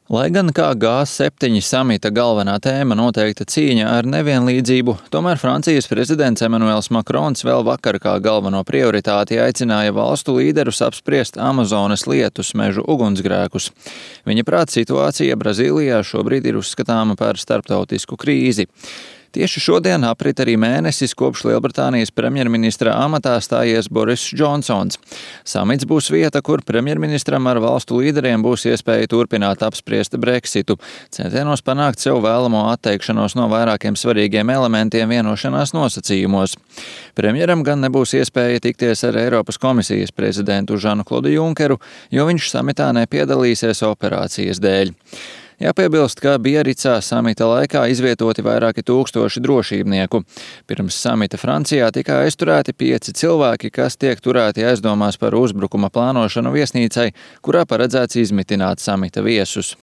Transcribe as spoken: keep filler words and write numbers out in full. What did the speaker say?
Lai gan kā G septiņi samita galvenā tēma noteikta cīņa ar nevienlīdzību, tomēr Francijas prezidents Emmanuels Macrons vēl vakar kā galveno prioritāti aicināja valstu līderus apspriest Amazonas lietus mežu ugunsgrēkus. Viņa prāt situācija Brazīlijā šobrīd ir uzskatāma par starptautisku krīzi. Tieši šodien aprit arī mēnesis, kopš Lielbritānijas premjerministra amatā stājies Boris Džonsons. Samits būs vieta, kur premjerministram ar valstu līderiem būs iespēja turpināt apspriest Brexitu, centienos panākt sev vēlamo atteikšanos no vairākiem svarīgiem elementiem vienošanās nosacījumos. Premjeram gan nebūs iespēja tikties ar Eiropas komisijas prezidentu Žanu Klodu Junkeru, jo viņš samitā nepiedalīsies operācijas dēļ. Jāpiebilst, ka Biaricā samita laikā izvietoti vairāki tūkstoši drošībnieku. Pirms samita Francijā tika aizturēti pieci cilvēki, kas tiek turēti aizdomās par uzbrukuma plānošanu viesnīcai, kurā paredzēts izmitināt samita viesus.